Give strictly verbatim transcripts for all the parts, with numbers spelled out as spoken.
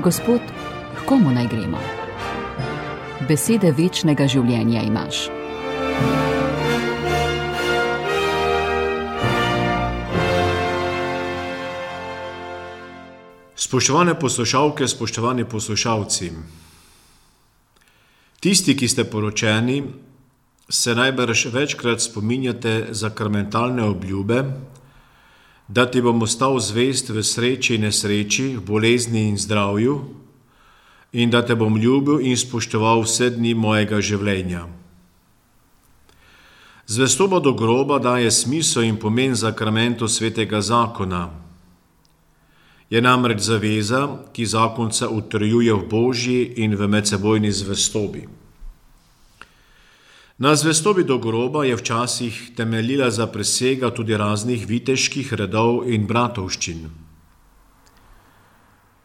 Gospod, h komu naj gremo? Besede večnega življenja imaš. Spoštovane poslušalke, spoštovani poslušalci, tisti, ki ste poročeni, se najbrž večkrat spominjate sakramentalne obljube, da ti bom ostal zvest v sreči in nesreči, v bolezni in zdravju in da te bom ljubil in spoštoval vse dni mojega življenja. Zvestoba do groba daje smisel in pomen sakramentu svetega zakona. Je namreč zaveza, ki zakonca utrjuje v božji in v medsebojni zvestobi. Na zvestobi do groba je včasih temeljila zaprisega tudi raznih viteških redov in bratovščin.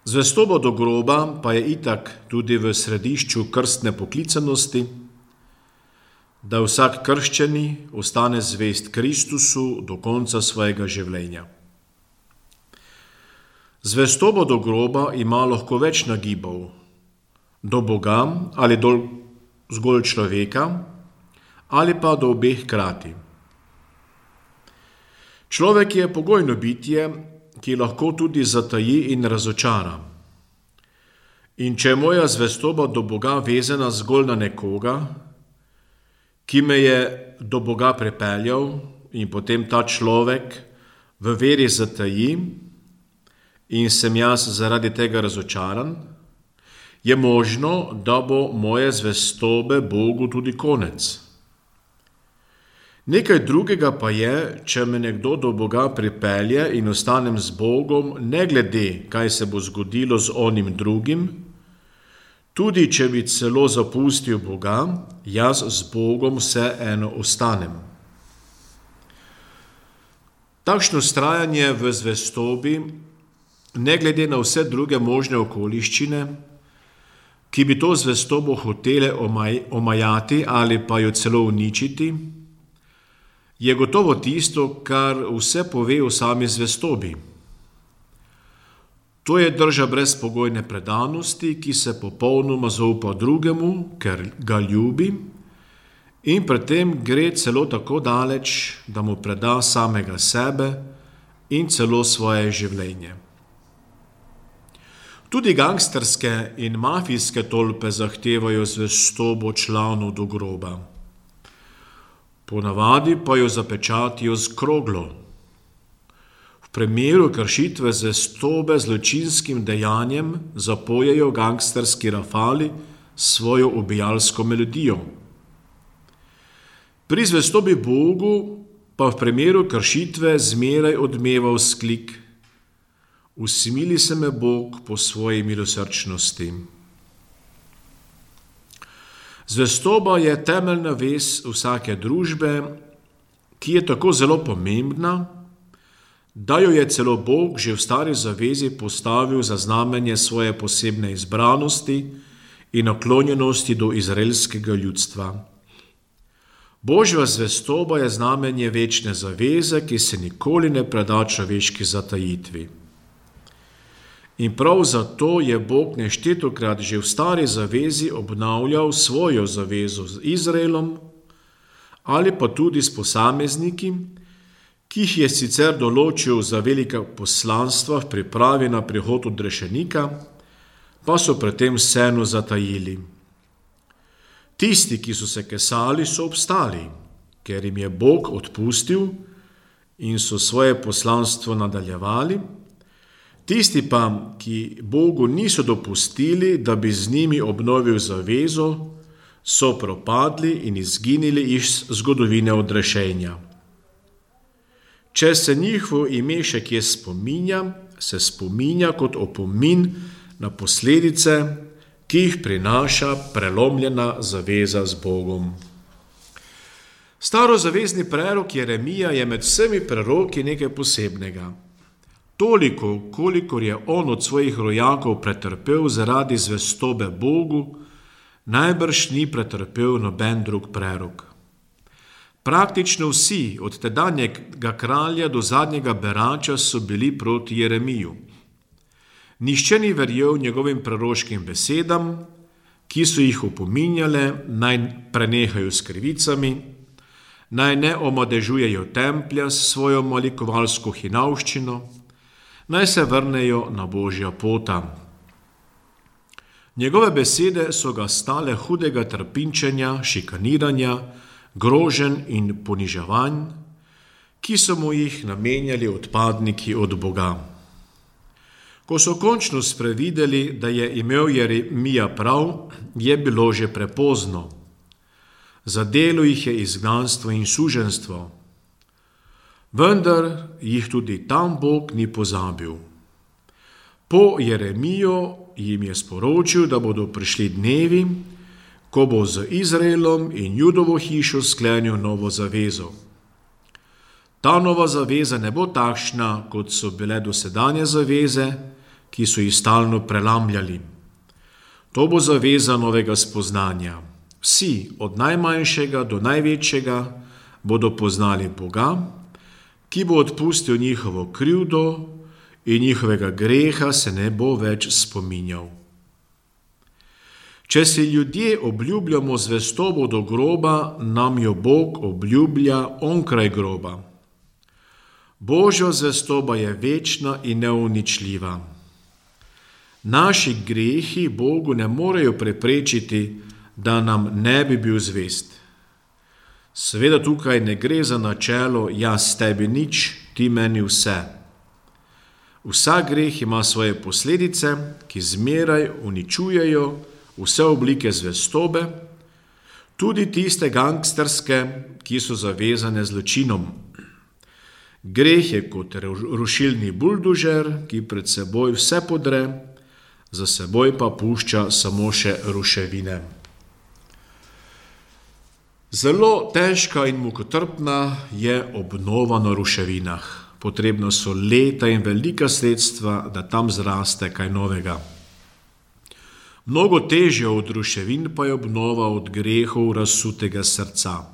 Zvestoba do groba pa je itak tudi v središču krstne poklicanosti, da vsak krščeni ostane zvest Kristusu do konca svojega življenja. Zvestoba do groba ima lahko več nagibov, do Boga ali do zgolj človeka, ali pa do obeh hkrati. Človek je pogojno bitje, ki lahko tudi zataji in razočara. In če je moja zvestoba do Boga vezana zgolj na nekoga, ki me je do Boga pripeljal in potem ta človek v veri zataji in sem jaz zaradi tega razočaran, je možno, da bo moje zvestobe Bogu tudi konec. Nekaj drugega pa je, če me nekdo do Boga pripelje in ostanem z Bogom, ne glede, kaj se bo zgodilo z onim drugim, tudi če bi celo zapustil Boga, jaz z Bogom vseeno ostanem. Takšno vztrajanje v zvestobi, ne glede na vse druge možne okoliščine, ki bi to zvestobo hotele omaj, omajati ali pa jo celo uničiti, je gotovo tisto, kar vse pove o sami zvestobi. To je drža brezpogojne predanosti, ki se popolnoma zaupa drugemu, ker ga ljubi, in pri tem gre celo tako daleč, da mu preda samega sebe in celo svoje življenje. Tudi gangsterske in mafijske tolpe zahtevajo zvestobo članov do groba. Ponavadi pa jo zapečatijo z kroglo. V primeru kršitve zvestobe zločinskim dejanjem zapojejo gangsterski rafali svojo ubijalsko melodijo. Pri zvestobi Bogu pa v primeru kršitve zmeraj odmeva vzklik: Usmili se me Bog po svoji milosrčnosti. Zvestoba je temeljna vez vsake družbe, ki je tako zelo pomembna, da jo je celo Bog že v stari zavezi postavil za znamenje svoje posebne izbranosti in naklonjenosti do izraelskega ljudstva. Božja zvestoba je znamenje večne zaveze, ki se nikoli ne preda človeški zatajitvi. In prav zato je Bog neštetokrat že v stari zavezi obnavljal svojo zavezo z Izraelom ali pa tudi s posamezniki, ki jih je sicer določil za velika poslanstva v pripravi na prihod odrešenika, pa so pred tem vseeno zatajili. Tisti, ki so se kesali, so obstali, ker jim je Bog odpustil in so svoje poslanstvo nadaljevali. Tisti pa, ki Bogu niso dopustili, da bi z njimi obnovil zavezo, so propadli in izginili iz zgodovine odrešenja. Če se njihovo ime še kje spominja, se spominja kot opomin na posledice, ki jih prinaša prelomljena zaveza z Bogom. Starozavezni prerok Jeremija je med vsemi preroki nekaj posebnega. Toliko, kolikor je on od svojih rojakov pretrpel zaradi zvestobe Bogu, najbrž ni pretrpel noben drug prerok. Praktično vsi, od tedanjega kralja do zadnjega berača, so bili proti Jeremiju. Nihče ni verjel njegovim proroškim besedam, ki so jih opominjale, naj prenehajo s krivicami, naj ne omadežujejo templja s svojo malikovalsko hinavščino, naj se vrnejo na Božja pota. Njegove besede so ga stale hudega trpinčenja, šikaniranja, groženj in poniževanj, ki so mu jih namenjali odpadniki od Boga. Ko so končno sprevideli, da je imel Jeremija prav, je bilo že prepozno. Zadelo jih je izgnanstvo in suženjstvo. Vendar jih tudi tam Bog ni pozabil. Po Jeremijo jim je sporočil, da bodo prišli dnevi, ko bo z Izraelom in Judovo hišo sklenil novo zavezo. Ta nova zaveza ne bo takšna, kot so bile dosedanje zaveze, ki so jih stalno prelamljali. To bo zaveza novega spoznanja. Vsi, od najmanjšega do največjega, bodo poznali Boga, ki bo odpustil njihovo krivdo in njihovega greha se ne bo več spominjal. Če si ljudje obljubljamo zvestobo do groba, nam jo Bog obljublja onkraj groba. Božja zvestoba je večna in neuničljiva. Naši grehi Bogu ne morejo preprečiti, da nam ne bi bil zvest. Seveda tukaj ne gre za načelo jaz tebi nič, ti meni vse. Vsak greh ima svoje posledice, ki zmeraj uničujejo vse oblike zvestobe, tudi tiste gangsterske, ki so zavezane zločinom. Greh je kot rušilni buldožer, ki pred seboj vse podre, za seboj pa pušča samo še ruševine. Zelo težka in mukotrpna je obnova na ruševinah. Potrebno so leta in velika sredstva, da tam zraste kaj novega. Mnogo težje od ruševin pa je obnova od grehov razsutega srca.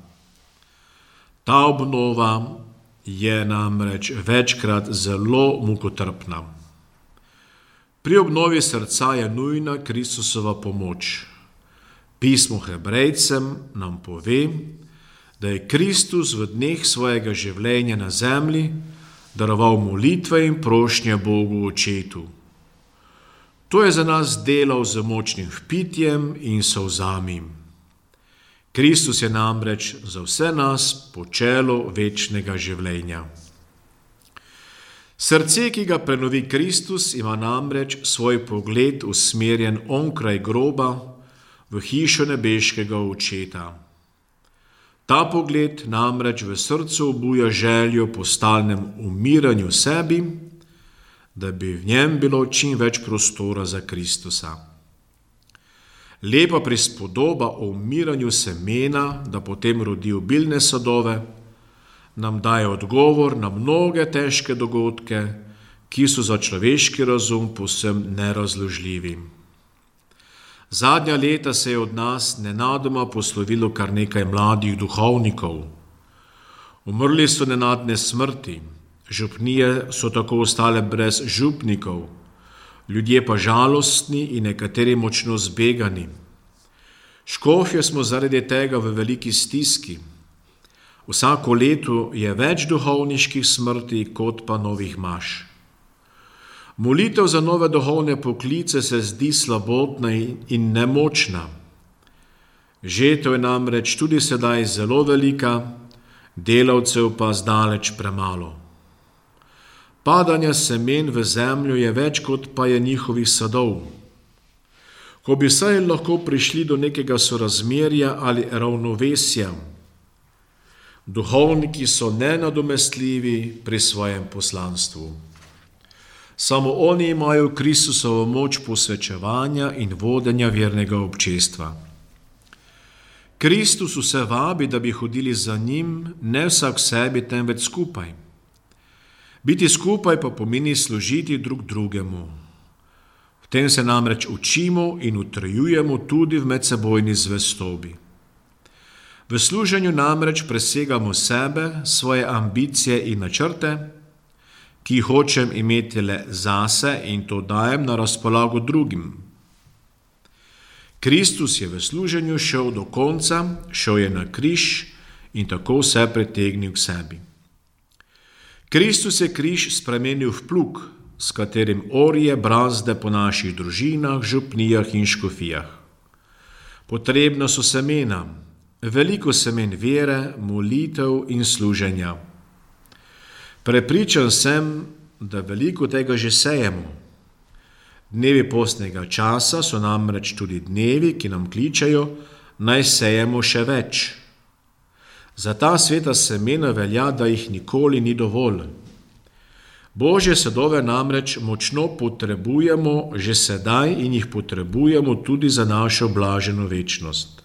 Ta obnova je namreč večkrat zelo mukotrpna. Pri obnovi srca je nujna Kristusova pomoč. Pismo Hebrejcem nam pove, da je Kristus v dneh svojega življenja na zemlji daroval molitve in prošnje Bogu Očetu. To je za nas delal z močnim vpitjem in solzami. Kristus je namreč za vse nas počelo večnega življenja. Srce, ki ga prenovi Kristus, ima namreč svoj pogled usmerjen onkraj groba v hišo nebeškega Očeta. Ta pogled namreč v srcu obuja željo po stalnem umiranju sebi, da bi v njem bilo čim več prostora za Kristusa. Lepa prispodoba o umiranju semena, da potem rodi obilne sadove, nam daje odgovor na mnoge težke dogodke, ki so za človeški razum povsem nerazložljivi. Zadnja leta se je od nas nenadoma poslovilo kar nekaj mladih duhovnikov. Umrli so nenadne smrti, župnije so tako ostale brez župnikov, ljudje pa žalostni in nekateri močno zbegani. Škofje smo zaradi tega v veliki stiski. Vsako leto je več duhovniških smrti kot pa novih maš. Molitev za nove duhovne poklice se zdi slabotna in nemočna. Žetev je namreč tudi sedaj zelo velika, delavcev pa zdaleč premalo. Padanja semen v zemljo je več kot pa je njihovih sadov. Ko bi saj lahko prišli do nekega sorazmerja ali ravnovesja, duhovniki so nenadomestljivi pri svojem poslanstvu. Samo oni imajo Kristusovo moč posvečevanja in vodenja vernega občestva. Kristus vse vabi, da bi hodili za njim, ne vsak sebi, temveč skupaj. Biti skupaj pa pomeni služiti drug drugemu. V tem se namreč učimo in utrjujemo tudi v medsebojni zvestobi. V služenju namreč presegamo sebe, svoje ambicije in načrte, ki jih hočem imeti le zase in to dajem na razpolago drugim. Kristus je v služenju šel do konca, šel je na križ in tako vse pritegnil k sebi. Kristus je križ spremenil v plug, s katerim orje brazde po naših družinah, župnijah in škofijah. Potrebna so semena, veliko semen vere, molitev in služenja. Prepričan sem, da veliko tega že sejemo. Dnevi postnega časa so namreč tudi dnevi, ki nam kličejo, naj sejemo še več. Za ta sveta semena velja, da jih nikoli ni dovolj. Božje sadove namreč močno potrebujemo že sedaj in jih potrebujemo tudi za našo blaženo večnost.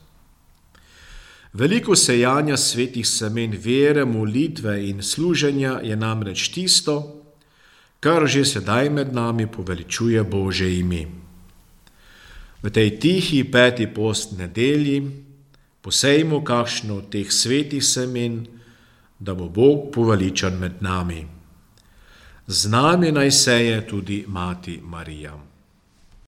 Veliko sejanja svetih semen vere, molitve in služenja je namreč tisto, kar že sedaj med nami poveličuje Božje ime. V tej tihi peti post nedelji posejmo kakšno od teh svetih semen, da bo Bog poveličan med nami. Z nami naj seje tudi Mati Marija.